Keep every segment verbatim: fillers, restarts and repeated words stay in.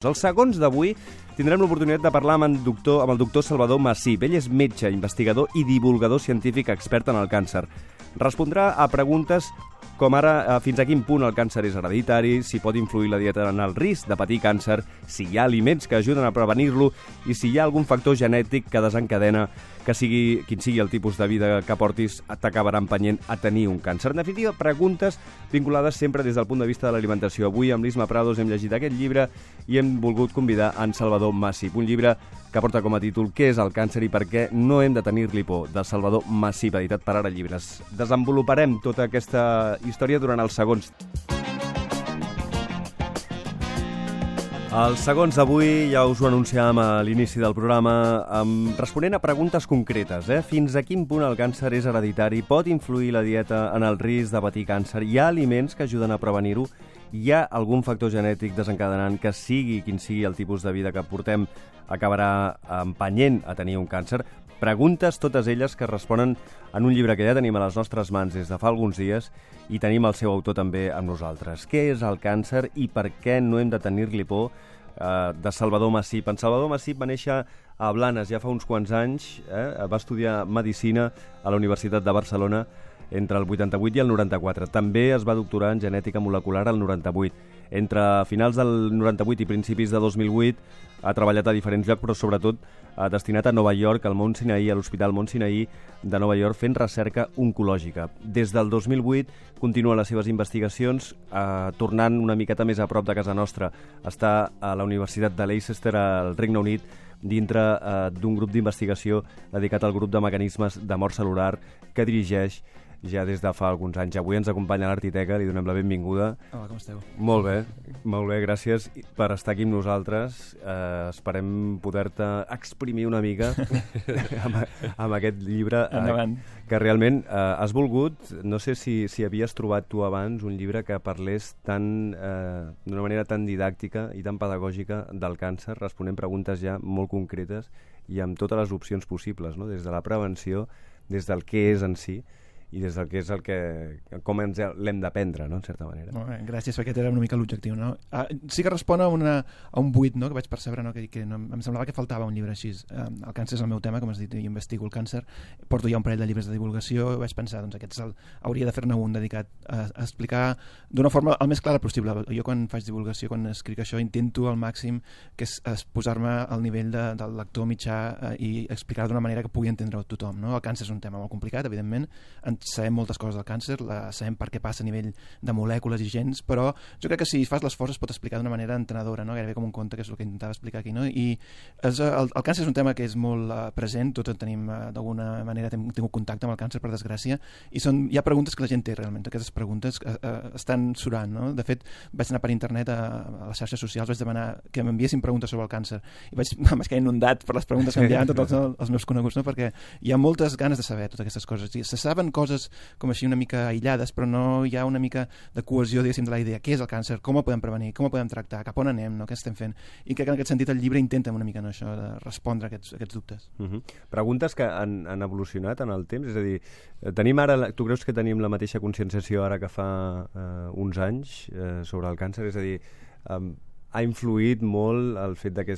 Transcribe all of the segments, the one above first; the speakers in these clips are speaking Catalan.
Els segons d'avui tindrem l'oportunitat de parlar amb, en doctor, amb el doctor Salvador Massip. Ell és metge, investigador i divulgador científic expert en el càncer. Respondrà a preguntes com ara fins a quin punt el càncer és hereditari, si pot influir la dieta en el risc de patir càncer, si hi ha aliments que ajuden a prevenir-lo i si hi ha algun factor genètic que desencadena que sigui quin sigui el tipus de vida que portis t'acabarà empenyent a tenir un càncer. En definitiva, preguntes vinculades sempre des del punt de vista de l'alimentació. Avui amb l'Isma Prados hem llegit aquest llibre i hem volgut convidar en Salvador Massip, un llibre que porta com a títol Què és el càncer i per què no hem de tenir-li por, de Salvador Massip, editat per Ara Llibres. Desenvoluparem tota aquesta història durant els segons. Els segons d'avui ja us ho anunciàvem a l'inici del programa, amb, responent a preguntes concretes. Eh? Fins a quin punt el càncer és hereditari? Pot influir la dieta en el risc de patir càncer? Hi ha aliments que ajuden a prevenir-ho? Hi ha algun factor genètic desencadenant que sigui quin sigui el tipus de vida que portem acabarà empenyent a tenir un càncer? Preguntes, totes elles, que responen en un llibre que ja tenim a les nostres mans des de fa alguns dies i tenim el seu autor també amb nosaltres. Què és el càncer i per què no hem de tenir-li por? Eh, de Salvador Massip. En Salvador Massip va néixer a Blanes ja fa uns quants anys, eh? va estudiar Medicina a la Universitat de Barcelona entre el vuitanta-vuit i el noranta-quatre. També es va doctorar en genètica molecular al noranta-vuit. Entre finals del noranta-vuit i principis de dos mil vuit ha treballat a diferents llocs, però sobretot ha destinat a Nova York, al Mount Sinai, a l'Hospital Mount Sinai de Nova York, fent recerca oncològica. Des del dos mil vuit continua les seves investigacions, eh, tornant una miqueta més a prop de casa nostra. Està a la Universitat de Leicester, al Regne Unit, dintre eh, d'un grup d'investigació dedicat al grup de mecanismes de mort cel·lular que dirigeix ja des de fa alguns anys. Avui ens acompanya l'Artiteca, li donem la benvinguda. Hola, com esteu? Molt bé, molt bé, gràcies per estar aquí amb nosaltres. Eh, esperem poder-te exprimir una mica amb, amb aquest llibre eh, que realment eh, has volgut. No sé si, si havies trobat tu abans un llibre que parlés tan eh, d'una manera tan didàctica i tan pedagògica del càncer, responent preguntes ja molt concretes i amb totes les opcions possibles, no? Des de la prevenció, des del què és en si, i des del que és el que, com ens l'hem d'aprendre, no?, en certa manera. Molt bé, gràcies, perquè aquest era una mica l'objectiu, no? Ah, sí que respon a, una, a un buit, no?, que vaig percebre, no?, que, que no, em semblava que faltava un llibre així. Eh, el càncer és el meu tema, com has dit, jo investigo el càncer, porto ja un parell de llibres de divulgació, vaig pensar, doncs aquest el, hauria de fer-ne un dedicat a, a explicar d'una forma el més clara possible. Jo quan faig divulgació, quan escric això, intento al màxim que és, és posar-me al nivell de, del lector mitjà eh, i explicar d'una manera que pugui entendre tothom, no? El càncer és un tema molt complicat, evidentment, en sabem moltes coses del càncer, la, sabem per què passa a nivell de molècules i gens, però jo crec que si fas l'esforç es pot explicar d'una manera entenedora, no? Gairebé com un conte, que és el que intentava explicar aquí, no? I és, el, el càncer és un tema que és molt uh, present, tots tenim uh, d'alguna manera hem tingut contacte amb el càncer, per desgràcia, i són, hi ha preguntes que la gent té realment, aquestes preguntes uh, uh, estan surant, no? De fet, vaig anar per internet a, a les xarxes socials, vaig demanar que m'enviessin preguntes sobre el càncer i vaig, vaig quedar inundat per les preguntes que enviaven tots els, els meus coneguts, no? Perquè hi ha moltes ganes de saber totes aquestes coses, i se saben coses com així una mica aïllades, però no hi ha una mica de cohesió, diguéssim, de la idea. Què és el càncer? Com ho podem prevenir? Com ho podem tractar? Cap on anem? No? Què estem fent? I crec que en aquest sentit el llibre intenta una mica, no, això, de respondre a aquests, aquests dubtes. Uh -huh. Preguntes que han, han evolucionat en el temps? És a dir, tenim ara, tu creus que tenim la mateixa conscienciació ara que fa eh, uns anys eh, sobre el càncer? És a dir, eh, ha influït molt el fet de que,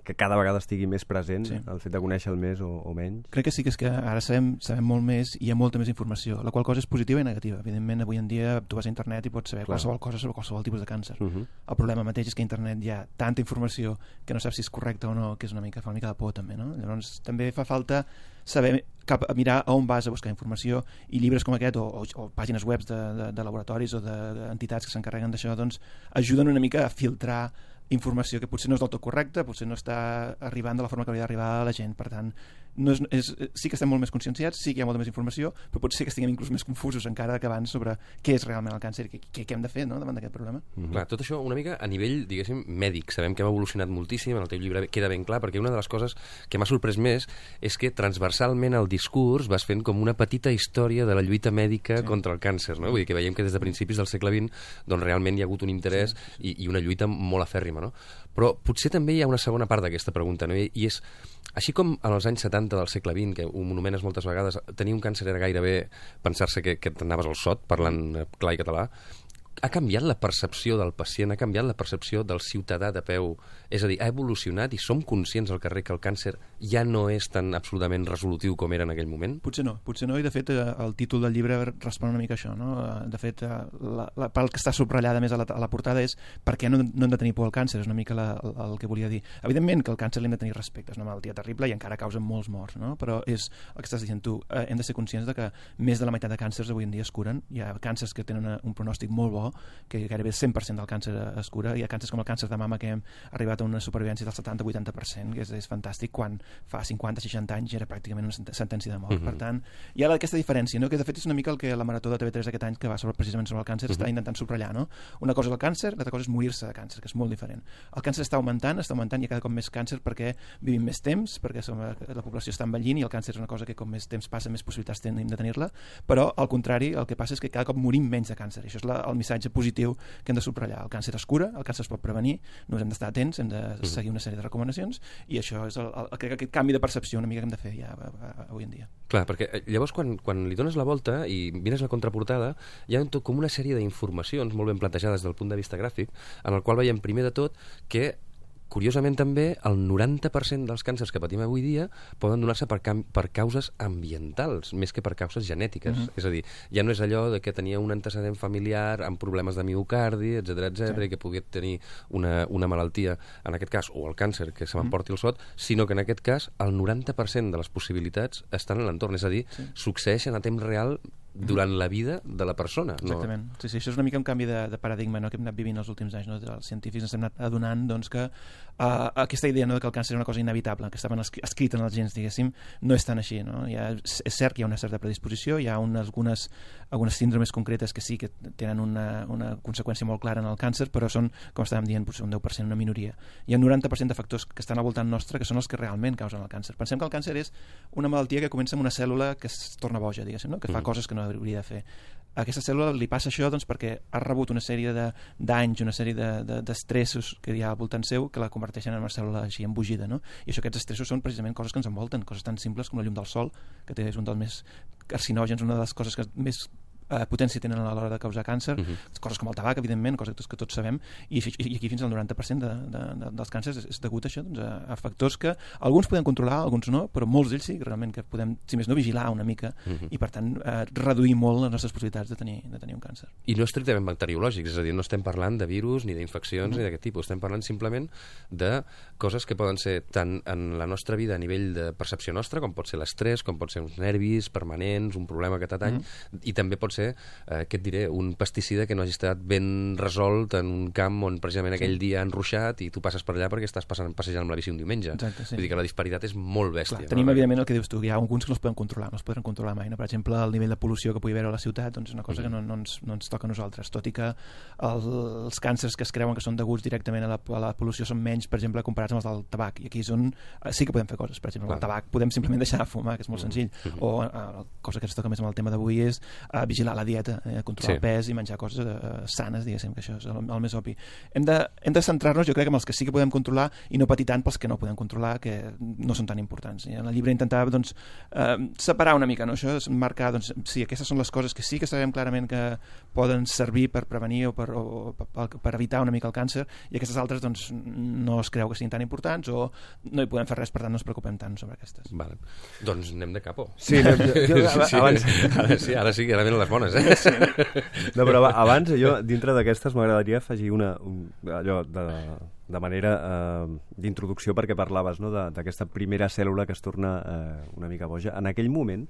que cada vegada estigui més present, sí. El fet de conèixer-lo més o, o menys? Crec que sí, que és que ara sabem, sabem molt més i hi ha molta més informació, la qual cosa és positiva i negativa. Evidentment, avui en dia tu vas a internet i pots saber Clar. qualsevol cosa sobre qualsevol tipus de càncer. Uh -huh. El problema mateix és que a internet hi ha tanta informació que no saps si és correcta o no, que és una mica, fa una mica de por també, no? Llavors també fa falta saber cap a mirar a on vas a buscar informació, i llibres com aquest o, o, o pàgines web de, de, de laboratoris o d'entitats que s'encarreguen d'això, doncs ajuden una mica a filtrar informació que potser no és del tot correcta, potser no està arribant de la forma que hauria d'arribar a la gent. Per tant, no és, és, sí que estem molt més conscienciats, sí que hi ha molta més informació, però potser que estiguem inclús més confusos encara que abans sobre què és realment el càncer i què, què hem de fer, no?, davant d'aquest problema. Mm-hmm. Clar, tot això una mica a nivell, diguéssim, mèdic. Sabem que hem evolucionat moltíssim, en el teu llibre queda ben clar, perquè una de les coses que m'ha sorprès més és que transversalment el discurs vas fent com una petita història de la lluita mèdica sí. contra el càncer, no? Vull dir que veiem que des de principis del segle vint doncs realment hi ha hagut un interès sí. i, i una lluita molt afèrrima, no? Però potser també hi ha una segona part d'aquesta pregunta, no? I, i és, així com en els anys setanta del segle vint, que ho monomentes moltes vegades, tenir un càncer era gairebé pensar-se que, que t'anaves al sot, parlant clar i català, ha canviat la percepció del pacient, ha canviat la percepció del ciutadà de peu. És a dir, ha evolucionat i som conscients al carrer que el càncer ja no és tan absolutament resolutiu com era en aquell moment? Potser no, potser no, i de fet el títol del llibre respon una mica a això, no? De fet, la, la, pel que està subratllada més a la, a la portada és per què no, no hem de tenir por al càncer, és una mica la, el, el que volia dir. Evidentment que el càncer l'hem de tenir respecte, és una malaltia terrible i encara causa molts morts, no? Però és el que estàs dient tu, eh, hem de ser conscients de que més de la meitat de càncers avui en dia es curen, hi ha càncers que tenen una, un pronòstic molt bo, que gairebé el cent per cent del càncer es cura. Hi ha càncers com el càncer de mama que hem arribat a una supervivència del setanta a vuitanta per cent, que és, és fantàstic, quan fa cinquanta a seixanta anys era pràcticament una sentència de mort. Uh-huh. Per tant, hi ha aquesta diferència, no? Que de fet és una mica el que la Marató de T V tres d'aquest any, que va sobre, precisament sobre el càncer, uh-huh. està intentant subratllar. No? Una cosa és el càncer, l'altra cosa és morir-se de càncer, que és molt diferent. El càncer està augmentant, està augmentant, hi ha cada cop més càncer perquè vivim més temps, perquè som, la població està envellint i el càncer és una cosa que com més temps passa, més possibilitats tenim de tenir-la, però al contrari, el que passa és que cada cop morim menys de càncer. I això és la, el missatge positiu que hem de subratllar. El càncer es cura, el càncer es pot prevenir, només hem d'estar atents, hem de seguir una sèrie de recomanacions i això és el, el, el, aquest canvi de percepció una mica que hem de fer ja avui en dia. Clar, perquè llavors quan, quan li dones la volta i mires la contraportada, hi ha tot com una sèrie d'informacions molt ben plantejades des del punt de vista gràfic, en el qual veiem primer de tot que curiosament també, el noranta per cent dels càncers que patim avui dia poden donar-se per, per causes ambientals, més que per causes genètiques. Uh-huh. És a dir, ja no és allò de que tenia un antecedent familiar amb problemes de miocardi, etcètera, etcètera, sí. i que pogués tenir una, una malaltia, en aquest cas, o el càncer, que se m'emporti el sot, sinó que en aquest cas el noranta per cent de les possibilitats estan en l'entorn, és a dir, sí. succeeixen a temps real durant la vida de la persona. Exactament. No? Sí, sí, això és una mica un canvi de, de paradigma, no?, que hem anat vivint els últims anys. No? Els científics ens hem anat adonant doncs, que uh, aquesta idea, no?, que el càncer és una cosa inevitable, que estaven escrit en els gens, diguéssim, no és tan així. No? Hi ha, és cert que hi ha una certa predisposició, hi ha unes, algunes, algunes síndromes concretes que sí que tenen una, una conseqüència molt clara en el càncer, però són, com estàvem dient, potser un deu per cent, una minoria. Hi ha un noranta per cent de factors que estan al voltant nostre que són els que realment causen el càncer. Pensem que el càncer és una malaltia que comença amb una cèl·lula que es torna boja, diguéssim, no? Que fa mm. coses que no hauria de fer. A aquesta cèl·lula li passa això doncs, perquè ha rebut una sèrie de, d'anys, una sèrie de, de, d'estressos que hi ha al voltant seu que la converteixen en una cèl·lula així embogida, no? I això, aquests estressos són precisament coses que ens envolten, coses tan simples com la llum del sol, que té, és un dels més carcinògens, una de les coses que més eh, potència tenen a l'hora de causar càncer, uh-huh. coses com el tabac, evidentment, coses que tots sabem, i, i aquí fins al noranta per cent de, de, de, dels càncers és, és degut a això, doncs, a, a factors que alguns podem controlar, alguns no, però molts d'ells sí, realment, que podem, si més no, vigilar una mica, uh-huh. i per tant eh, reduir molt les nostres possibilitats de tenir, de tenir un càncer. I no estrictament bacteriològics, és a dir, no estem parlant de virus ni d'infeccions uh-huh. ni d'aquest tipus, estem parlant simplement de coses que poden ser tant en la nostra vida a nivell de percepció nostra, com pot ser l'estrès, com pot ser uns nervis permanents, un problema que t'atany, uh-huh. i també pot ser eh, que et diré, un pesticida que no hagi estat ben resolt en un camp on precisament aquell sí. dia han ruixat i tu passes per allà perquè estàs passant, passejant amb la bici un diumenge. Exacte, sí. Vull dir que la disparitat és molt bèstia. Clar, tenim, no? evidentment, el que dius tu, hi ha alguns que no es poden controlar, no es poden controlar mai. No? Per exemple, el nivell de pol·lució que pugui haver a la ciutat doncs és una cosa mm. que no, no, ens, no ens toca a nosaltres, tot i que el, els càncers que es creuen que són deguts directament a la, a la pol·lució són menys, per exemple, comparats amb els del tabac. I aquí és on sí que podem fer coses. Per exemple, Clar. el tabac podem simplement deixar de fumar, que és molt mm. senzill. Mm. O la uh, cosa que ens toca més amb el tema d'avui és uh, vigilar la dieta, eh, controlar sí. el pes i menjar coses uh, sanes, diguéssim, que això és el, el més obvi. Hem de, hem de centrar-nos, jo crec, en els que sí que podem controlar i no patir tant pels que no podem controlar, que no són tan importants. I en el llibre intentava doncs, eh, separar una mica, no? Això és marcar, doncs, sí, aquestes són les coses que sí que sabem clarament que poden servir per prevenir o per, o, per, per evitar una mica el càncer, i aquestes altres doncs, no es creu que siguin tan importants o no hi podem fer res, per tant no ens preocupem tant sobre aquestes. Vale. Doncs anem de capo. Sí, no, jo, jo, sí, sí. abans... Ara sí, ara sí, ara venen les bones, eh? Sí. No, però abans, jo, dintre d'aquestes, m'agradaria afegir una, un, allò de, de manera eh, d'introducció, perquè parlaves, no, d'aquesta primera cèl·lula que es torna eh, una mica boja. En aquell moment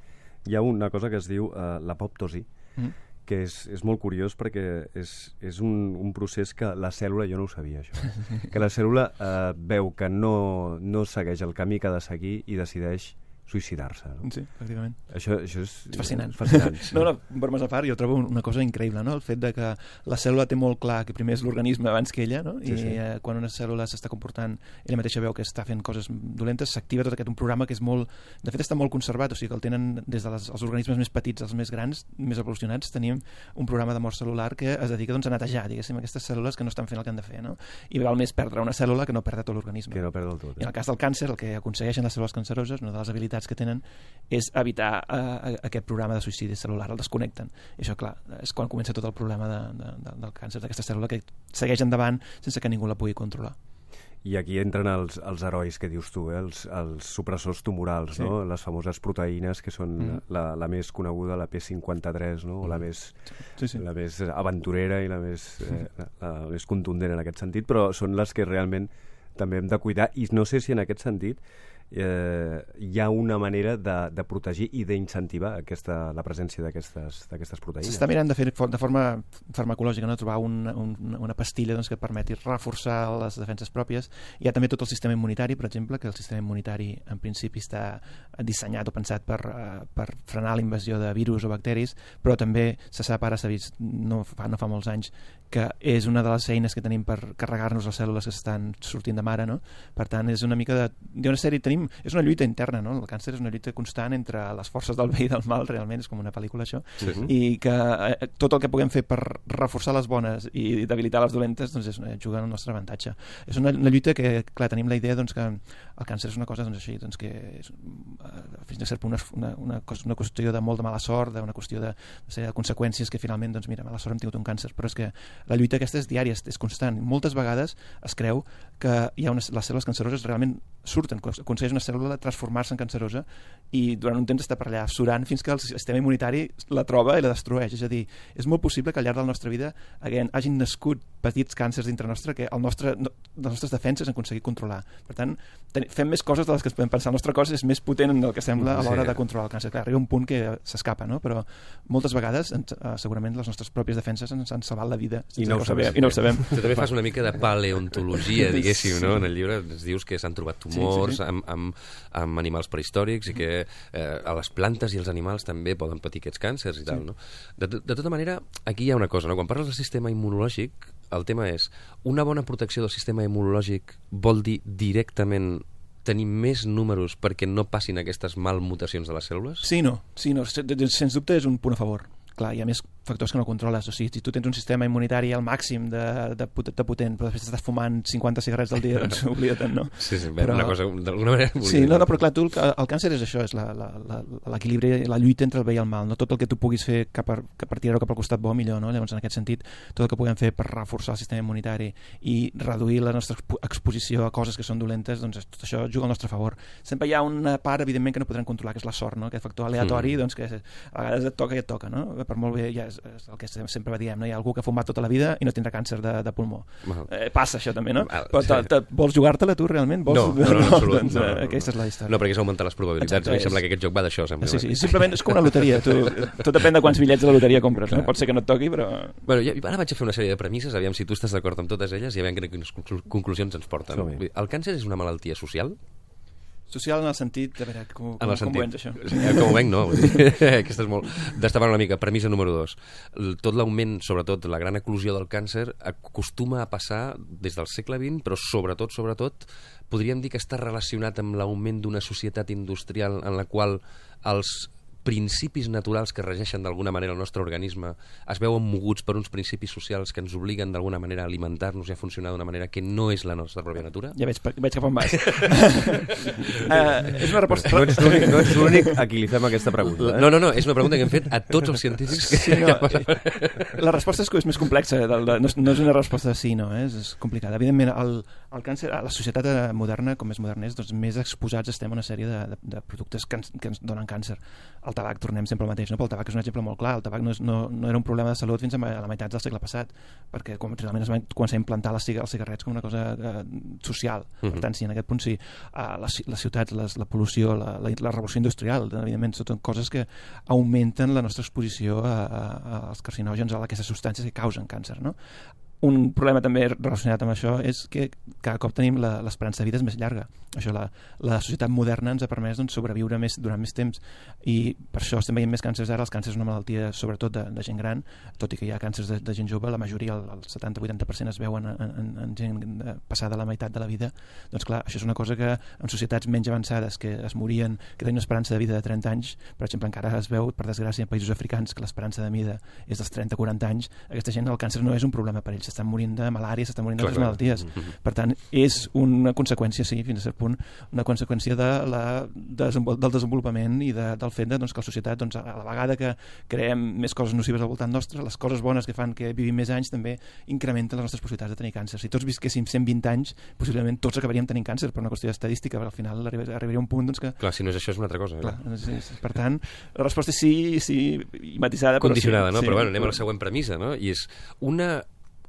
hi ha una cosa que es diu eh, l'apoptosi, mm. que és, és molt curiós perquè és, és un, un procés que la cèl·lula, jo no ho sabia això, que la cèl·lula eh, veu que no, no segueix el camí que ha de seguir i decideix suïcidar-se. No? Sí, pràcticament. Això, això és, és fascinant. fascinant sí. No, no, bromes a part, jo trobo una cosa increïble, no? El fet de que la cèl·lula té molt clar que primer és l'organisme abans que ella, no? I sí, sí. Eh, quan una cèl·lula s'està comportant, ella mateixa veu que està fent coses dolentes, s'activa tot aquest un programa que és molt... De fet, està molt conservat, o sigui que el tenen des dels de organismes més petits als més grans, més evolucionats, tenim un programa de mort cel·lular que es dedica doncs, a netejar, diguéssim, aquestes cèl·lules que no estan fent el que han de fer, no? I val més perdre una cèl·lula que no perdre tot l'organisme. Que no perdre el tot. Eh? I en el cas del càncer, el que aconsegueixen les cèl·lules canceroses, una de les habilitats finalitats que tenen és evitar uh, aquest programa de suïcidi cel·lular, el desconnecten. I això, clar, és quan comença tot el problema de, de, de, del càncer d'aquesta cèl·lula, que segueix endavant sense que ningú la pugui controlar. I aquí entren els, els herois que dius tu, eh? els, els supressors tumorals, sí. no? Les famoses proteïnes que són mm. la, la més coneguda, la P cinquanta-tres, no? O la més, sí, sí. la més aventurera i la més, eh, la, la més contundent en aquest sentit, però són les que realment també hem de cuidar, i no sé si en aquest sentit eh, hi ha una manera de, de protegir i d'incentivar aquesta, la presència d'aquestes d'aquestes proteïnes. S'està mirant de fer de forma farmacològica, no? Trobar un, un, una pastilla doncs, que permeti reforçar les defenses pròpies. Hi ha també tot el sistema immunitari, per exemple, que el sistema immunitari en principi està dissenyat o pensat per, uh, per frenar la invasió de virus o bacteris, però també se sap, ara s'ha vist no fa, no fa molts anys, que és una de les eines que tenim per carregar-nos les cèl·lules que estan sortint de mare, no? Per tant, és una mica de... Hi ha una sèrie, tenim, és una lluita interna, no? El càncer és una lluita constant entre les forces del bé i del mal, realment, és com una pel·lícula, això, sí, sí. I que eh, tot el que puguem fer per reforçar les bones i debilitar les dolentes, doncs és, juga en el nostre avantatge. És una, una lluita que, clar, tenim la idea doncs, que el càncer és una cosa doncs, així, doncs, que és, fins a cert punt, una, una, una qüestió de molt de mala sort, d'una qüestió de, de, de conseqüències que finalment, doncs mira, mala sort hem tingut un càncer, però és que la lluita aquesta és diària, és constant. Moltes vegades es creu que hi ha unes, les cèl·lules canceroses realment surten, aconsegueix una cèl·lula transformar-se en cancerosa i durant un temps està per allà surant fins que el sistema immunitari la troba i la destrueix. És a dir, és molt possible que al llarg de la nostra vida hagin, hagin nascut petits càncers dintre nostre que el nostre, les nostres defenses han aconseguit controlar. Per tant, ten, fem més coses de les que es podem pensar. El nostre cos és més potent del que sembla a l'hora sí. de controlar el càncer. Clar, arriba un punt que s'escapa, no? Però moltes vegades ens, uh, segurament les nostres pròpies defenses ens han salvat la vida i no, ho sabem, i no ho sabem. Tu també fas una mica de paleontologia, diguéssim, no? En el llibre ens dius que s'han trobat tumors sí, sí, sí. Amb, amb, amb animals prehistòrics i que eh, a les plantes i els animals també poden patir aquests càncers i tal, sí. no? De, de tota manera, aquí hi ha una cosa, no? Quan parles del sistema immunològic, el tema és, una bona protecció del sistema immunològic vol dir directament tenir més números perquè no passin aquestes malmutacions de les cèl·lules? Sí, no. Sí, no. Sens dubte és un punt a favor. Clar, hi ha més factors que no controles. O sigui, si tu tens un sistema immunitari al màxim de, de, de potent, però després estàs fumant cinquanta cigarrets al dia, doncs oblida't, no? Sí, sí, però, una cosa, d'alguna manera... Sí, no, no, però clar, tu, el, el càncer és això, és l'equilibri, la, la, la lluita entre el bé i el mal, no? Tot el que tu puguis fer cap a, cap a tirar-ho cap al costat bo, millor, no? Llavors, en aquest sentit, tot el que puguem fer per reforçar el sistema immunitari i reduir la nostra exposició a coses que són dolentes, doncs tot això juga al nostre favor. Sempre hi ha una part, evidentment, que no podrem controlar, que és la sort, no? Aquest factor aleatori, mm. doncs, que a vegades et toca i et toca, no? Per molt bé, ja és, és el que sempre diem, no? Hi ha algú que ha fumat tota la vida i no tindrà càncer de, de pulmó. Eh, passa això també, no? Però te, te, vols jugar-te-la tu realment? Vols... No, no, no, no, absolut, doncs, no, no, no, aquesta és la història. No, perquè és augmentar les probabilitats. Exacte, a mi sembla que aquest joc va d'això. Sí, sí, simplement és com una loteria. Tu, tot depèn de quants bitllets de la loteria compres, no? Pot ser que no et toqui, però... Bueno, ja, ara vaig a fer una sèrie de premisses, aviam si tu estàs d'acord amb totes elles i aviam quines conclusions ens porten. No? El càncer és una malaltia social? Social en el sentit, a veure, com, com, com ho vens això? Com ho venc, no. Aquesta és molt... Destapant una mica, premissa número dos. Tot l'augment, sobretot, la gran eclosió del càncer acostuma a passar des del segle vint, però sobretot, sobretot, podríem dir que està relacionat amb l'augment d'una societat industrial en la qual els principis naturals que regeixen d'alguna manera el nostre organisme es veuen moguts per uns principis socials que ens obliguen d'alguna manera a alimentar-nos i a funcionar d'una manera que no és la nostra pròpia natura? Ja veig, veig cap on vas. uh, és una resposta... No ets l'únic no ets l'únic a qui li fem aquesta pregunta. Eh? No, no, no, és una pregunta que hem fet a tots els científics. Que... Sí, no, la resposta és, és més complexa, de, de, no, no és una resposta sí, no, eh? és, és complicada. Evidentment, el, el càncer, a la societat moderna, com més moderna és, doncs més exposats estem a una sèrie de, de, de productes que ens, que ens donen càncer. El tabac, tornem sempre al mateix, no? Però el tabac és un exemple molt clar. El tabac no, és, no, no era un problema de salut fins a la meitat del segle passat, perquè quan realment es va començar a implantar les, els cigarrets com una cosa eh, social. Uh-huh. Per tant, sí, en aquest punt sí. Uh, les, les ciutats, les, la pol·lució, la, la, la revolució industrial, evidentment, són coses que augmenten la nostra exposició a, a, als carcinògens, a aquestes substàncies que causen càncer, no? Un problema també relacionat amb això és que cada cop tenim l'esperança de vida és més llarga. Això, la, la societat moderna ens ha permès doncs, sobreviure més, durant més temps i per això estem veient més càncers ara. Els càncers és una malaltia sobretot de, de gent gran, tot i que hi ha càncers de, de gent jove, la majoria, el, el setanta vuitanta per cent es veuen en, en, en gent passada la meitat de la vida. Doncs clar, això és una cosa que en societats menys avançades que es morien, que tenien una esperança de vida de trenta anys, per exemple, encara es veu, per desgràcia, en països africans que l'esperança de vida és dels trenta a quaranta anys. Aquesta gent el càncer no és un problema per ells, s'estan morint de malària, s'estan morint Clar, d'altres malalties. Mm-hmm. Per tant, és una conseqüència, sí, fins a cert punt, una conseqüència de la, desenvol del desenvolupament i de, del fet de, doncs, que la societat, doncs, a la vegada que creem més coses nocives al voltant nostre, les coses bones que fan que vivim més anys també incrementen les nostres possibilitats de tenir càncer. Si tots visquéssim cent vint anys, possiblement tots acabaríem tenint càncer per una qüestió estadística, però al final arribaria un punt doncs, que... Clar, si no és això és una altra cosa. Clar, sí, sí. Per tant, la resposta és sí, sí, i matisada, però condicionada, sí, no? Sí, però bueno, anem a la següent premissa, no? I és una,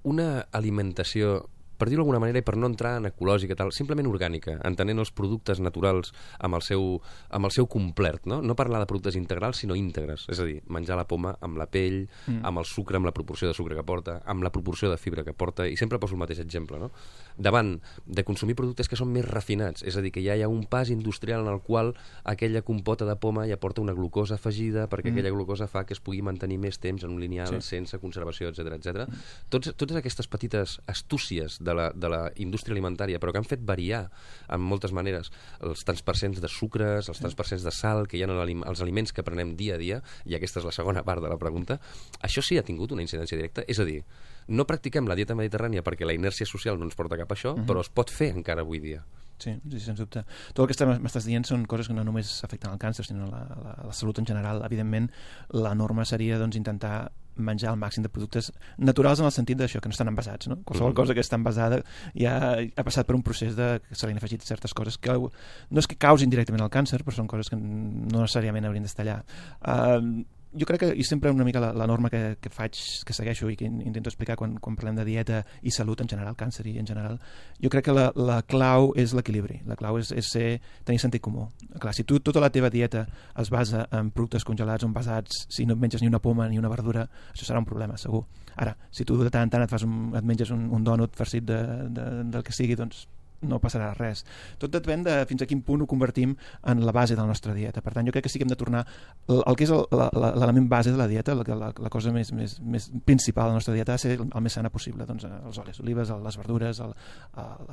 una alimentació, per dir-ho d'alguna manera i per no entrar en ecològica, tal, simplement orgànica, entenent els productes naturals amb el seu, amb el seu complet, no? No parlar de productes integrals, sinó íntegres, és a dir, menjar la poma amb la pell, mm. amb el sucre, amb la proporció de sucre que porta, amb la proporció de fibra que porta, i sempre poso el mateix exemple, no? Davant de consumir productes que són més refinats, és a dir, que ja hi ha un pas industrial en el qual aquella compota de poma ja porta una glucosa afegida perquè mm. aquella glucosa fa que es pugui mantenir més temps en un lineal sí. sense conservació, etcètera, etcètera. Mm. Tots, totes aquestes petites astúcies de la, de la indústria alimentària, però que han fet variar en moltes maneres els tants percents de sucres, els tants percents de sal que hi ha en els aliments que prenem dia a dia, i aquesta és la segona part de la pregunta, això sí ha tingut una incidència directa, és a dir, no practiquem la dieta mediterrània perquè la inèrcia social no ens porta cap a això, uh-huh. però es pot fer encara avui dia. Sí, sí, sens dubte. Tot el que m'estàs dient són coses que no només afecten el càncer, sinó la, la, la salut en general. Evidentment, la norma seria doncs, intentar menjar el màxim de productes naturals en el sentit d'això, que no estan envasats, no? Qualsevol cosa que està envasada ja ha passat per un procés de que se li han afegit certes coses que no és que causin directament el càncer, però són coses que no necessàriament haurien d'estar allà. Uh, jo crec que, i sempre una mica la, la norma que, que faig, que segueixo i que intento explicar quan, quan parlem de dieta i salut en general, càncer i en general, jo crec que la, la clau és l'equilibri, la clau és, és ser, tenir sentit comú. Clar, si tu tota la teva dieta es basa en productes congelats o envasats, si no et menges ni una poma ni una verdura, això serà un problema, segur. Ara, si tu de tant en tant et, fas un, et menges un, un dònut farcit de, de, del que sigui, doncs no passarà res. Tot depèn de fins a quin punt ho convertim en la base de la nostra dieta. Per tant, jo crec que sí que hem de tornar el, el que és l'element base de la dieta, la, la, la cosa més, més, més principal de la nostra dieta ha de ser el, el més sana possible. Doncs els olis olives, les verdures, el, el,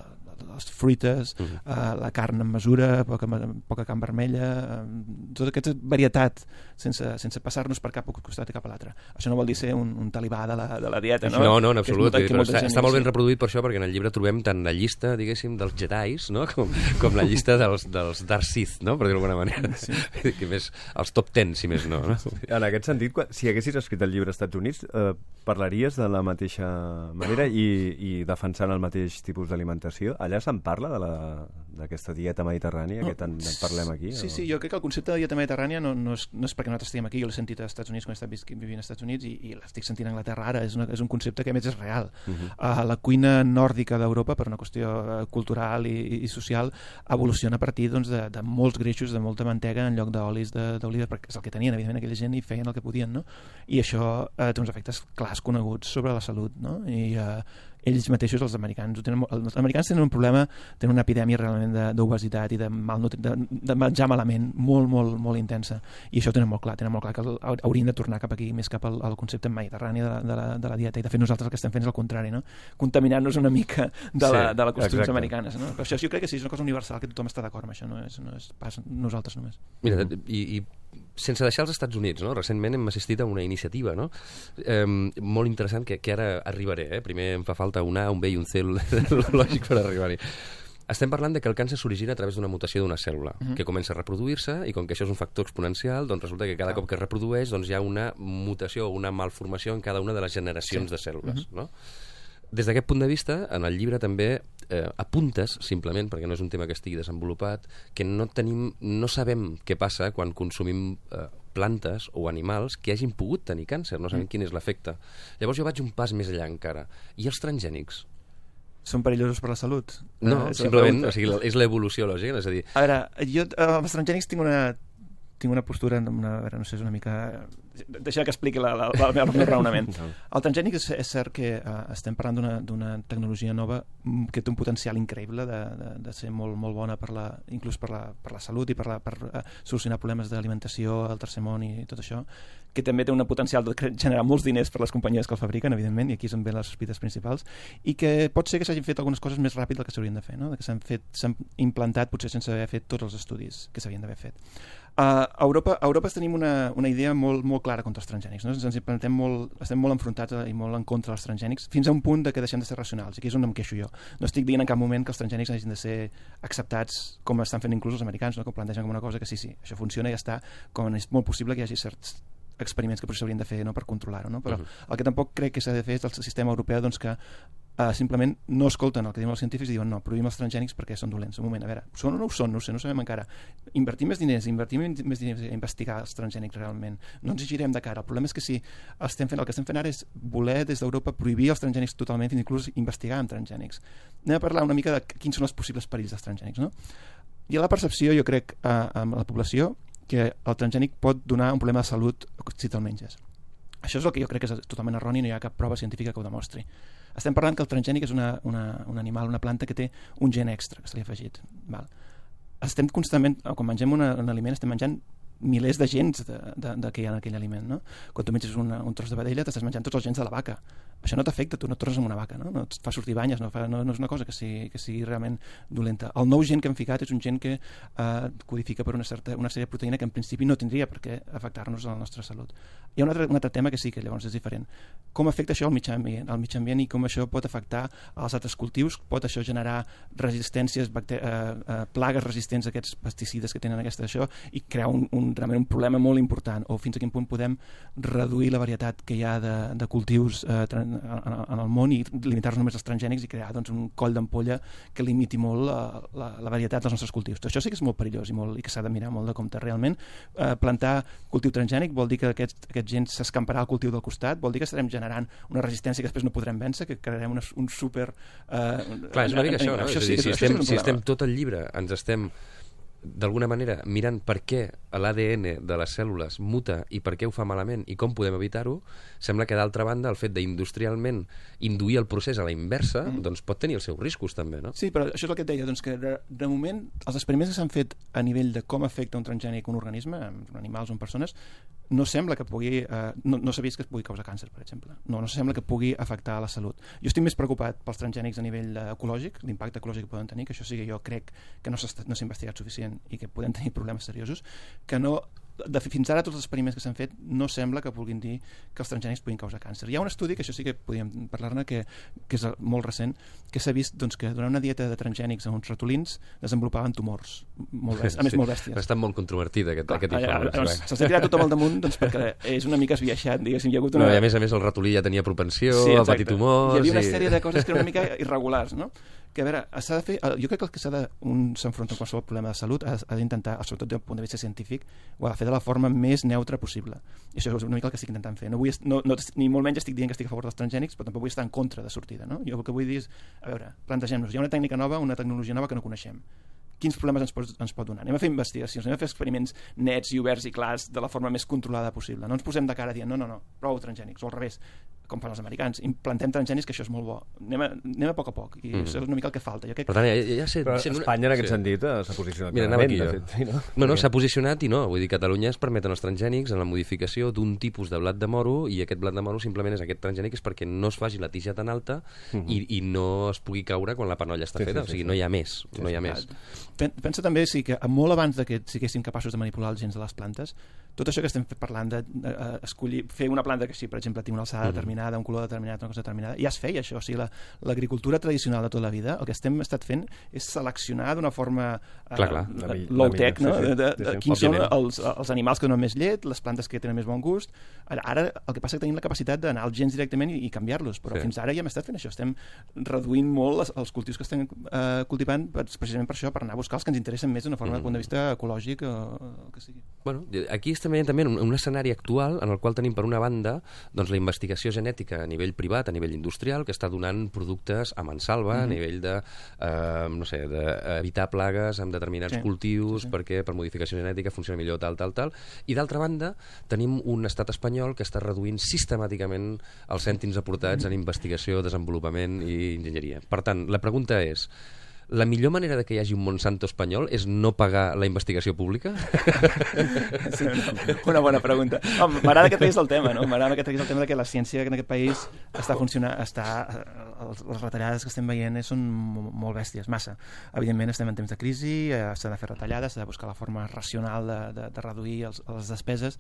les fruites, uh -huh. uh, la carn en mesura, poca, poca carn vermella, uh, tota aquesta varietat sense, sense passar-nos per cap costat i cap a l'altre. Això no vol dir ser un, un talibà de la, de la dieta, no? No, no, en absolut. Molt, però està, està molt ben reproduït per això, perquè en el llibre trobem tant la llista, diguéssim, dels Jedis, no? com, com la llista dels, dels Dark Sith, no? Per dir-ho d'alguna manera. Sí. Que més, els top ten, si més no. no? En aquest sentit, si haguessis escrit el llibre als Estats Units, eh, parlaries de la mateixa manera i, i defensant el mateix tipus d'alimentació? Allà se'n parla d'aquesta dieta mediterrània no, que tant parlem aquí? Sí, o? sí, jo crec que el concepte de dieta mediterrània no, no, és, no és perquè nosaltres estiguem aquí, jo l'he sentit als Estats Units quan he estat vivint als Estats Units i, i l'estic sentint a Anglaterra ara, és, una, és un concepte que a més és real. Uh -huh. uh, la cuina nòrdica d'Europa, per una qüestió cultural i, i social, evoluciona a partir doncs, de, de molts greixos, de molta mantega en lloc d'olis d'oliva, perquè és el que tenien evidentment aquella gent i feien el que podien, no? I això eh, té uns efectes clars coneguts sobre la salut, no? I eh, ells mateixos, els americans, tenen, els americans tenen un problema, tenen una epidèmia realment d'obesitat i de, de, de menjar malament molt, molt, molt intensa, i això ho tenen molt clar, tenen molt clar que haurien de tornar cap aquí, més cap al, al concepte mediterrani de la, de, la, de la dieta, i de fet nosaltres el que estem fent és el contrari, no? Contaminant-nos una mica de la, de la costums americanes, no? Però això jo crec que sí, és una cosa universal, que tothom està d'acord amb això, no és, no és pas nosaltres només. Mira, i, i sense deixar els Estats Units, no? Recentment hem assistit a una iniciativa, no? Eh, molt interessant, que, que ara arribaré, eh? Primer em fa falta un A, un B i un C lògic per arribar-hi. Estem parlant de que el càncer s'origina a través d'una mutació d'una cèl·lula, uh-huh. que comença a reproduir-se, i com que això és un factor exponencial, doncs resulta que cada ah. cop que es reprodueix doncs hi ha una mutació o una malformació en cada una de les generacions sí. de cèl·lules, uh-huh. no? Des d'aquest punt de vista, en el llibre també eh, apuntes, simplement, perquè no és un tema que estigui desenvolupat, que no tenim, no sabem què passa quan consumim eh, plantes o animals que hagin pogut tenir càncer, no sabem mm. quin és l'efecte. Llavors jo vaig un pas més enllà encara. I els transgènics? Són perillosos per la salut? No, eh, simplement, o sigui, és l'evolució lògica, és a dir... A veure, jo amb els transgènics tinc una... tinc una postura, una, a veure, no sé, és una mica... Deixa que expliqui la, la, la, el meu raonament. El transgènic és, és cert que uh, estem parlant d'una tecnologia nova que té un potencial increïble de, de, de ser molt, molt bona per la, inclús per la, per la salut i per, la, per uh, solucionar problemes d'alimentació al tercer món i tot això, que també té un potencial de generar molts diners per les companyies que el fabriquen, evidentment, i aquí són ben les sospites principals, i que pot ser que s'hagin fet algunes coses més ràpid del que s'haurien de fer, no? Que s'han fet, s'han implantat potser sense haver fet tots els estudis que s'havien d'haver fet. Uh, a, Europa, a Europa tenim una, una idea molt, molt clara contra els transgènics. No? Ens implementem molt, estem molt enfrontats i molt en contra dels transgènics, fins a un punt de que deixem de ser racionals. I aquí és on em queixo jo. No estic dient en cap moment que els transgènics hagin de ser acceptats com estan fent inclús els americans, no? Que ho plantegen com una cosa que sí, sí, això funciona i ja està, com és molt possible que hi hagi certs experiments que potser s'haurien de fer, no?, per controlar-ho. No? Però uh-huh. el que tampoc crec que s'ha de fer és el sistema europeu, doncs, que Uh, simplement no escolten el que diuen els científics i diuen no, prohibim els transgènics perquè són dolents. Un moment, a veure, són o no ho són? No ho sé, no ho sabem encara. Invertim més diners, invertim més diners a investigar els transgènics realment. No ens hi girem de cara. El problema és que si estem fent, el que estem fent ara és voler des d'Europa prohibir els transgènics totalment, fins inclús investigar amb transgènics. Anem a parlar una mica de quins són els possibles perills dels transgènics, no? Hi ha la percepció, jo crec, uh, amb la població que el transgènic pot donar un problema de salut si te'l menges. Això és el que jo crec que és totalment erroni, no hi ha cap prova científica que ho demostri. Estem parlant que el transgènic és una, una, un animal, una planta que té un gen extra que se li ha afegit. Val. Estem constantment, quan mengem una, un aliment, estem menjant milers de gens de, de, de que hi ha en aquell aliment. No? Quan tu menges una, un tros de vedella, t'estàs menjant tots els gens de la vaca. Això no t'afecta, tu no et tornes amb una vaca, no, no et fa sortir banyes, no, fa, no, no és una cosa que sigui, que sigui realment dolenta. El nou gen que hem ficat és un gen que eh, codifica per una, certa, una sèrie de proteïna que en principi no tindria per què afectar-nos a la nostra salut. Hi ha un altre, un altre tema que sí que llavors és diferent. Com afecta això al mitjà ambient, al mitjà ambient i com això pot afectar als altres cultius? Pot això generar resistències, bacter eh, eh, plagues resistents a aquests pesticides que tenen aquesta això i crear un, un, realment un problema molt important? O fins a quin punt podem reduir la varietat que hi ha de, de cultius eh, en, en el món i limitar-nos només als transgènics i crear doncs, un coll d'ampolla que limiti molt la, la, la varietat dels nostres cultius. Tot això sí que és molt perillós i, molt, i que s'ha de mirar molt de compte. Realment, eh, plantar cultiu transgènic vol dir que aquest, aquest gent s'escamparà al cultiu del costat, vol dir que estarem generant una resistència que després no podrem vèncer, que crearem una, un super... Eh, Clar, és una mica això, no? Això és sí, a dir, si, això estem, sí si estem tot el llibre, ens estem d'alguna manera mirant per què l'A D N de les cèl·lules muta i per què ho fa malament i com podem evitar-ho, sembla que d'altra banda el fet d'industrialment induir el procés a la inversa mm. doncs pot tenir els seus riscos també, no? Sí, però això és el que et deia, doncs que de, de moment els experiments que s'han fet a nivell de com afecta un transgènic un organisme, en animals o en persones, no sembla que pugui, eh, no, no s'ha vist que es pugui causar càncer, per exemple. No, no sembla que pugui afectar la salut. Jo estic més preocupat pels transgènics a nivell ecològic, l'impacte ecològic que poden tenir, que això sí que jo crec que no s'ha no s'ha investigat suficient i que podem tenir problemes seriosos, que no, de, fins ara tots els experiments que s'han fet no sembla que vulguin dir que els transgènics puguin causar càncer. Hi ha un estudi, que això sí que podríem parlar-ne, que, que és molt recent, que s'ha vist doncs, que durant una dieta de transgènics a uns ratolins desenvolupaven tumors, molt bèsties, a més sí, molt bèsties. Està molt controvertit aquest, Clar, aquest informe. Doncs, s'ha tirat tothom al damunt doncs, perquè és una mica esbiaixat, diguéssim. Hi ha hagut una... no, I a més a més el ratolí ja tenia propensió sí, a patir tumors... Hi havia una i... sèrie de coses que eren una mica irregulars, no? Que a veure, s'ha de fer, jo crec que el que s'ha de, un s'enfronta amb qualsevol problema de salut, ha, ha d'intentar, sobretot des del punt de vista científic, ho ha de fer de la forma més neutra possible. I això és una mica el que estic intentant fer. No vull, no, no, ni molt menys estic dient que estic a favor dels transgènics, però tampoc vull estar en contra de sortida. No? Jo el que vull dir és, a veure, plantegem-nos, hi ha una tècnica nova, una tecnologia nova que no coneixem. Quins problemes ens pot, ens pot donar? Anem a fer investigacions, anem a fer experiments nets i oberts i clars de la forma més controlada possible. No ens posem de cara dient, no, no, no, prou transgènics, o al revés, com fan els americans, implantem transgènics, que això és molt bo. Anem a, anem a poc a poc, i mm. això és una mica el que falta. Jo crec... Per tant, ja, ja sé, Però sent Espanya, una... en aquest sí. sentit, s'ha posicionat Mira, clarament, aquí, de fet. Sí, no, no, no s'ha posicionat i no. Vull dir, Catalunya es permeten els transgènics en la modificació d'un tipus de blat de moro, i aquest blat de moro simplement és aquest transgènic és perquè no es faci la tija tan alta uh -huh. i, i no es pugui caure quan la panolla està sí, feta. Sí, sí, o sigui, sí. no hi ha més. Sí, no hi ha sí, més. Pensa també sí, que molt abans de que siguéssim capaços de manipular els gens de les plantes, tot això que estem parlant d'escollir, de, de, fer una planta que sí, per exemple, tingui una alçada uh -huh. determinada, un color determinat, una cosa determinada, ja es feia això. O sigui, l'agricultura la, tradicional de tota la vida, el que estem estat fent és seleccionar d'una forma uh, clar, clar. low-tech, no? Sí, sí, de, de, sí, de, sí, quins òbviament. són els, els animals que donen més llet, les plantes que tenen més bon gust. Ara, ara el que passa és que tenim la capacitat d'anar als gens directament i, i canviar-los, però sí. fins ara ja hem estat fent això. Estem reduint molt els, els cultius que estem uh, cultivant precisament per això, per anar a buscar els que ens interessen més d'una forma mm. del punt de vista ecològic o el que sigui. Bueno, aquí estem veient també un, un escenari actual en el qual tenim per una banda doncs, la investigació genètica a nivell privat, a nivell industrial, que està donant productes a mansalva, mm-hmm. a nivell de, eh, no sé, d'evitar plagues amb determinats sí. cultius, sí, sí. perquè per modificació genètica funciona millor tal, tal, tal. I d'altra banda, tenim un estat espanyol que està reduint sistemàticament els cèntims aportats mm-hmm. en investigació, desenvolupament i enginyeria. Per tant, la pregunta és, la millor manera de que hi hagi un Monsanto espanyol és no pagar la investigació pública? Sí, una bona pregunta. Oh, m'agrada que treguis el tema, no? M'agrada que treguis el tema de que la ciència en aquest país està funcionant, està, les retallades que estem veient són molt bèsties, massa. Evidentment estem en temps de crisi, s'ha de fer retallades, s'ha de buscar la forma racional de, de, de reduir els, les despeses,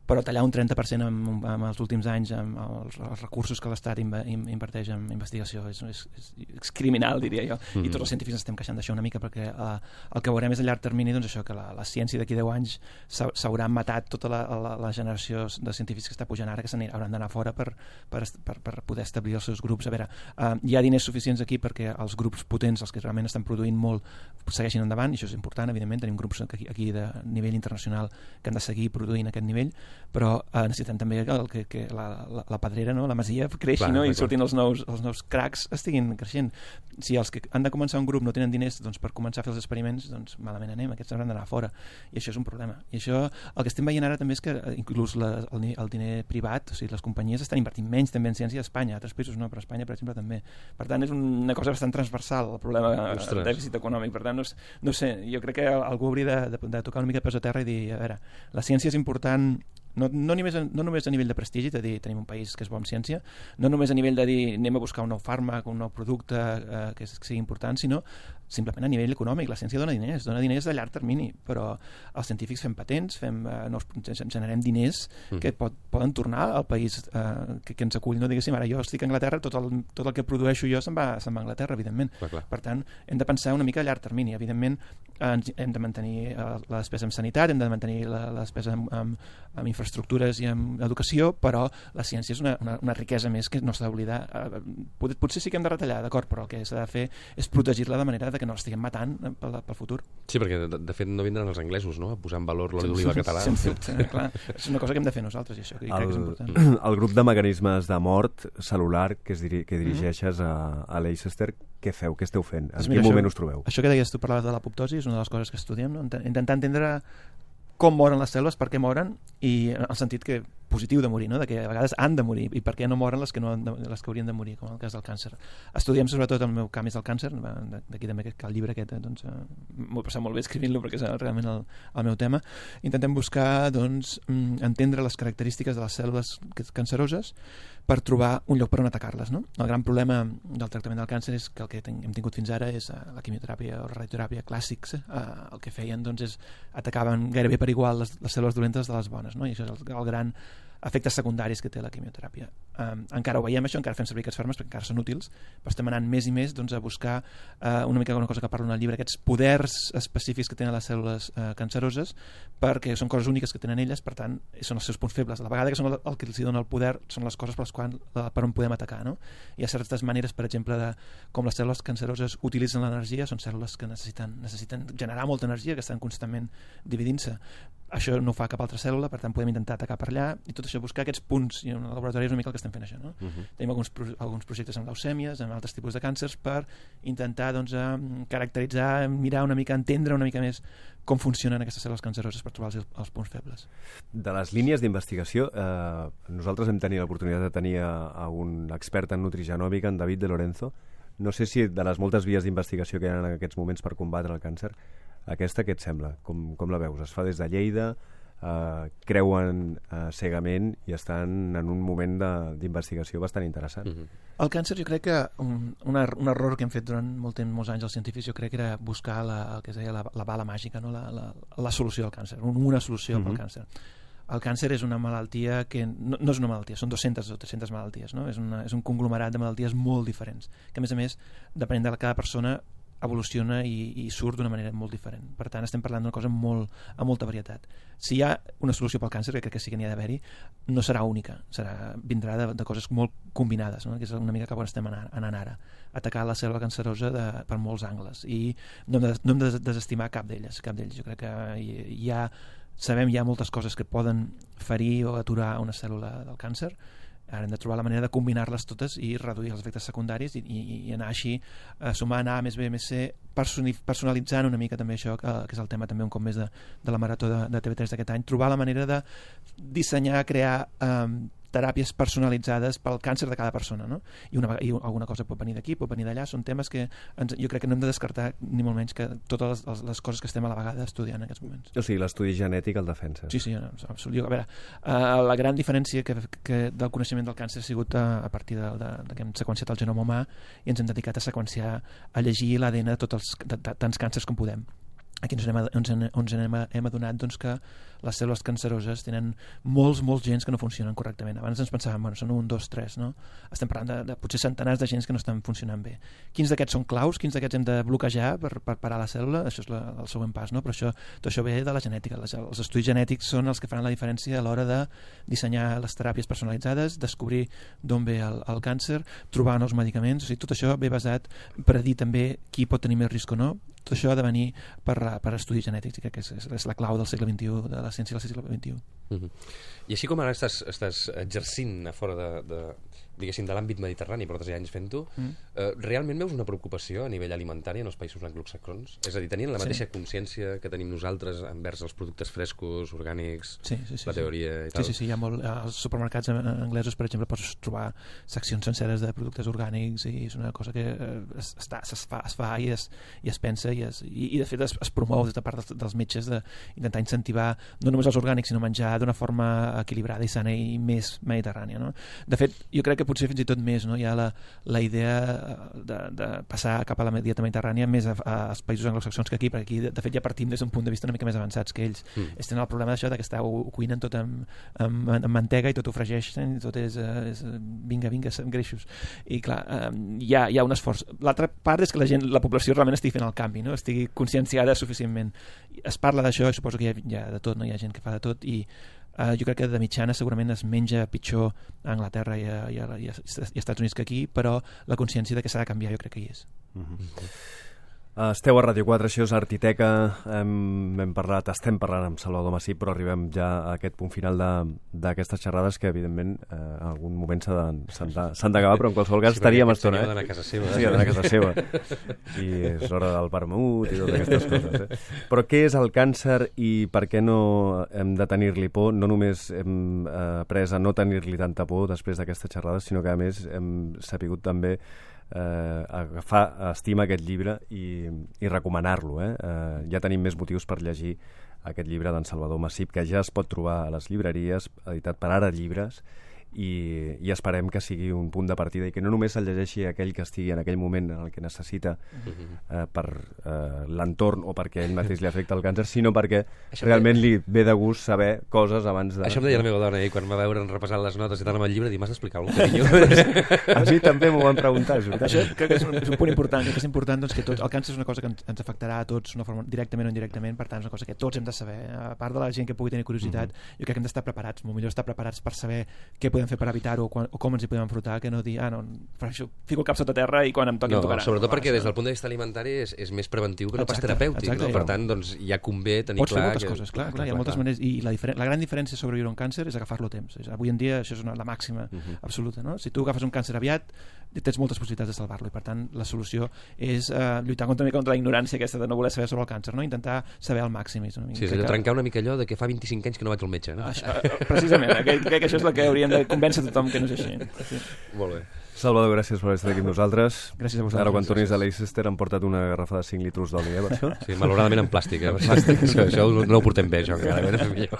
però tallar un trenta per cent en, en els últims anys amb els, els recursos que l'Estat inverteix en investigació és, és, és, és criminal, diria jo. Mm-hmm. I tots els científics estem queixant d'això una mica, perquè eh, el que veurem és a llarg termini, doncs això, que la, la ciència d'aquí deu anys s'haurà matat tota la, la, la generació de científics que està pujant ara, que hauran d'anar fora per, per, per, per poder establir els seus grups. A veure, eh, hi ha diners suficients aquí perquè els grups potents, els que realment estan produint molt, segueixin endavant, i això és important, evidentment. Tenim grups aquí, aquí de nivell internacional que han de seguir produint aquest nivell, però eh, necessitem també que, que, que la, la, la pedrera, no? La masia creixi, clar, no? I surtin els nous, els nous cracs estiguin creixent. Si els que han de començar un grup no tenen diners, doncs, per començar a fer els experiments, doncs malament anem, aquests hauran d'anar fora, i això és un problema. I això, el que estem veient ara també és que inclús la, el, el diner privat, o sigui, les companyies estan invertint menys també en ciència a Espanya, a altres països no, però a Espanya, per exemple, també. Per tant, és una cosa bastant transversal, el problema del dèficit econòmic. Per tant, no, no sé, jo crec que algú hauria de, de, de tocar una mica de peus a terra i dir, a veure, la ciència és important. No, no, només, no només a nivell de prestigi, de dir tenim un país que és bo en ciència, no només a nivell de dir anem a buscar un nou fàrmac, un nou producte eh, que, que sigui important, sinó simplement a nivell econòmic. La ciència dona diners, dona diners a llarg termini, però els científics fem patents, fem, eh, nous, generem diners mm. que pot, poden tornar al país eh, que, que ens acull. No diguéssim, ara jo estic a Anglaterra, tot el, tot el que produeixo jo se'n va, se'n va a Anglaterra, evidentment. Clar, clar. Per tant, hem de pensar una mica a llarg termini. Evidentment, eh, hem de mantenir eh, la despesa en sanitat, hem de mantenir la, la despesa en, en, en infraestructures i en educació, però la ciència és una, una, una riquesa més que no s'ha d'oblidar. Eh, pot, potser sí que hem de retallar, d'acord, però el que s'ha de fer és protegir-la de manera de que no l'estiguem matant pel, pel futur. Sí, perquè de, de fet no vindran els anglesos, no?, a posar en valor l'oli d'oliva català. Sense dubte, clar. És una cosa que hem de fer nosaltres, i això que el, crec que és important. El grup de mecanismes de mort celular que, es diri, que dirigeixes a, a Leicester, què feu? Què esteu fent? En quin moment us trobeu? Això que deies tu, parlaves de l'apoptosi, és una de les coses que estudiem, no? Intentar entendre com moren les cèl·lules, per què moren, i en el sentit que positiu de morir, no? De que a vegades han de morir, i per què no moren les que, no han de, les que haurien de morir, com en el cas del càncer. Estudiem sobretot, el meu camp és el càncer, d'aquí també que el llibre aquest, doncs, eh, m'ho he passat molt bé escrivint-lo perquè és realment el, el meu tema. Intentem buscar, doncs, entendre les característiques de les cèl·lules canceroses per trobar un lloc per on atacar-les, no? El gran problema del tractament del càncer és que el que ten, hem tingut fins ara és la quimioteràpia o radioteràpia clàssics. Eh, el que feien, doncs, és atacaven gairebé per igual les, les cèl·lules dolentes de les bones, no? I això és el, el gran efectes secundaris que té la quimioteràpia. Um, encara ho veiem això, encara fem servir aquests fàrmacs perquè encara són útils, però estem anant més i més, doncs, a buscar uh, una mica una cosa que parlo en el llibre, aquests poders específics que tenen les cèl·lules uh, canceroses, perquè són coses úniques que tenen elles, per tant, són els seus punts febles. A la vegada que són el, el que els dona el poder són les coses per les quals, per on podem atacar, no? Hi ha certes maneres, per exemple, de com les cèl·lules canceroses utilitzen l'energia, són cèl·lules que necessiten, necessiten generar molta energia, que estan constantment dividint-se. Això no ho fa cap altra cèl·lula, per tant podem intentar atacar per allà, i tot això buscar aquests punts, i en el laboratori és una mica el que estem fent això, no? Uh-huh. Tenim alguns, alguns projectes amb leucèmies, amb altres tipus de càncers, per intentar, doncs, caracteritzar, mirar una mica, entendre una mica més com funcionen aquestes cèl·lules canceroses per trobar els, els punts febles. De les línies d'investigació, eh, nosaltres hem tenit l'oportunitat de tenir a, a un expert en nutrigenòmica, en David de Lorenzo. No sé si de les moltes vies d'investigació que hi ha en aquests moments per combatre el càncer, aquesta què et sembla? Com, com la veus? Es fa des de Lleida, eh, creuen eh, cegament i estan en un moment d'investigació bastant interessant. Mm-hmm. El càncer, jo crec que un, un, er, un error que hem fet durant molt temps, molts anys els científics, jo crec que era buscar la, el que es deia la, la bala màgica, no? la, la, la solució al càncer, una solució mm-hmm. pel càncer. El càncer és una malaltia que no, no és una malaltia, són dues-centes o tres-centes malalties, no? És, una, és un conglomerat de malalties molt diferents, que a més a més, depenent de cada persona, evoluciona i, i surt d'una manera molt diferent. Per tant, estem parlant d'una cosa molt, amb molta varietat. Si hi ha una solució pel càncer, que crec que sí que n'hi ha d'haver-hi, no serà única, serà, vindrà de, de coses molt combinades, no? Que és una mica cap on estem anant, anant ara. Atacar la cèl·lula cancerosa de, per molts angles, i no hem de, no hem de desestimar cap d'elles, cap d'ells. Jo crec que hi, hi ha, sabem hi ha moltes coses que poden ferir o aturar una cèl·lula del càncer. Ara hem de trobar la manera de combinar-les totes i reduir els efectes secundaris i, i, i anar així eh, sumant A més B més C, personalitzant una mica també això, que, que és el tema també un cop més de, de la marató de, de T V tres d'aquest any, trobar la manera de dissenyar, crear eh, teràpies personalitzades pel càncer de cada persona, no? I, una, i alguna cosa pot venir d'aquí, pot venir d'allà, són temes que ens, jo crec que no hem de descartar ni molt menys que totes les, les coses que estem a la vegada estudiant en aquests moments. O sigui, l'estudi genètic el defensa. Sí, sí, absolut. A veure, uh, la gran diferència que, que del coneixement del càncer ha sigut a, a partir de, de, de que hem seqüenciat el genoma humà i ens hem dedicat a seqüenciar, a llegir l'A D N de tots els de, de, tants càncers com podem. Aquí ens anem, ens, ens anem, hem adonat doncs, que les cèl·lules canceroses tenen molts, molts gens que no funcionen correctament. Abans ens pensàvem, bueno, són un, dos, tres, no? Estem parlant de, de potser centenars de gens que no estan funcionant bé. Quins d'aquests són claus? Quins d'aquests hem de bloquejar per, per parar la cèl·lula? Això és la, el següent pas, no? Però això, tot això ve de la genètica. Les, els estudis genètics són els que faran la diferència a l'hora de dissenyar les teràpies personalitzades, descobrir d'on ve el, el càncer, trobar nous medicaments. O sigui, tot això ve basat per dir també qui pot tenir més risc o no. Tot això ha de venir per, per estudis genètics, i crec que és, és la clau del segle vint-i-u, de la ciència del segle vint-i-u. Uh-huh. I així com ara estàs, estàs exercint a fora de, de, diguéssim, de l'àmbit mediterrani, portes ja anys fent-ho, mm. eh, realment veus una preocupació a nivell alimentari en els països anglosaxons? És a dir, tenien la mateixa sí. consciència que tenim nosaltres envers els productes frescos, orgànics, sí, sí, sí, la teoria sí. i tal? Sí, sí, sí, hi ha molt... Als supermercats anglesos, per exemple, pots trobar seccions senceres de productes orgànics i és una cosa que es, està, es, fa, es fa i es, i es pensa i, es, i, i de fet es, es promou des de part dels, dels metges d'intentar incentivar no només els orgànics, sinó menjar d'una forma equilibrada i sana i més mediterrània, no? De fet, jo crec que potser fins i tot més, no? Hi ha la, la idea de, de passar cap a la dieta mediterrània més a, a, als països anglosaxons que aquí, perquè aquí de, de fet ja partim des d'un punt de vista una mica més avançats que ells. Mm. Ells tenen el problema d'això de que està, ho, ho cuinen tot amb, amb, amb mantega i tot ho fregeixen i tot és, és vinga, vinga, greixos. I clar, hi ha, hi ha un esforç. L'altra part és que la gent, la població realment estigui fent el canvi, no? Estigui conscienciada suficientment. Es parla d'això i suposo que hi ha, hi ha de tot, no? Hi ha gent que fa de tot i uh, jo crec que de mitjana segurament es menja pitjor a Anglaterra i a, i a, i a, i a Estats Units que aquí, però la consciència de que s'ha de canviar jo crec que hi és. Mm-hmm. Uh, esteu a Ràdio quatre, això és Artiteca, hem, hem parlat, estem parlant amb Salvador Massip, però arribem ja a aquest punt final d'aquestes xerrades que evidentment eh, en algun moment s'han d'acabar, però en qualsevol cas sí, estaríem estona. Sí, d'anar a casa seva. Sí, d'anar a casa seva. I és l'hora del vermut i totes aquestes coses. Eh? Però què és el càncer i per què no hem de tenir-li por? No només hem eh, après a no tenir-li tanta por després d'aquestes xerrades, sinó que a més hem sapigut també Eh, agafar estima aquest llibre i, i recomanar-lo. Eh? Eh, ja tenim més motius per llegir aquest llibre d'en Salvador Massip, que ja es pot trobar a les llibreries, editat per Ara Llibres, i, i esperem que sigui un punt de partida i que no només el llegeixi aquell que estigui en aquell moment en el que necessita eh, per eh, l'entorn o perquè ell mateix li afecta el càncer, sinó perquè això realment li ve de gust saber coses abans de... Això em deia la meva dona ahir quan va veure repassant les notes i tant amb el llibre, dir, m'has d'explicar alguna cosa? A mi també m'ho van preguntar. Això crec que és un, és un punt important, crec que és important doncs, que tot, el càncer és una cosa que ens, ens afectarà a tots una forma, directament o indirectament, per tant és una cosa que tots hem de saber. A part de la gent que pugui tenir curiositat, mm-hmm. jo crec que hem d'estar preparats, molt millor estar preparats per saber què podem fer per evitar-ho o com ens hi podem enfrontar, que no dir, ah, no, això, fico el cap sota terra i quan em toqui no, em tocarà. Sobretot no, perquè des del punt de vista alimentari és, és més preventiu que no exacte, pas terapèutic, exacte, no? Per tant, doncs, ja convé tenir pots clar... Pots fer moltes que... coses, clar, clar, clar, hi ha moltes clar. maneres, i la, la gran diferència sobre viure un càncer és agafar-lo a temps. És, avui en dia això és una, la màxima uh-huh. absoluta, no? Si tu agafes un càncer aviat, tens moltes possibilitats de salvar-lo, i per tant la solució és uh, lluitar contra, contra la ignorància aquesta de no voler saber sobre el càncer, no? Intentar saber el màxim. És una mica, sí, és allò, que... trencar una mica allò de que fa vint-i-cinc anys que no vaig al metge, no? Això, precisament, crec que això és el que hauríem de convèncer tothom que no és així. Sí. Molt bé. Salvador, gràcies per estar aquí amb nosaltres. Gràcies a vosaltres. Ara, quan tornis a Leicester, han portat una garrafa de cinc litros d'oli, eh, per això? Sí, malauradament en plàstic, eh? plàstic. això, això no ho portem bé, això, encara.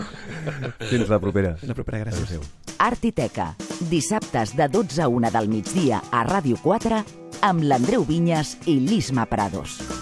Fins la propera. Fins la propera, gràcies. Artiteca, dissabtes de dotze a una del migdia a Ràdio quatre, amb l'Andreu Vinyes i l'Isma Prados.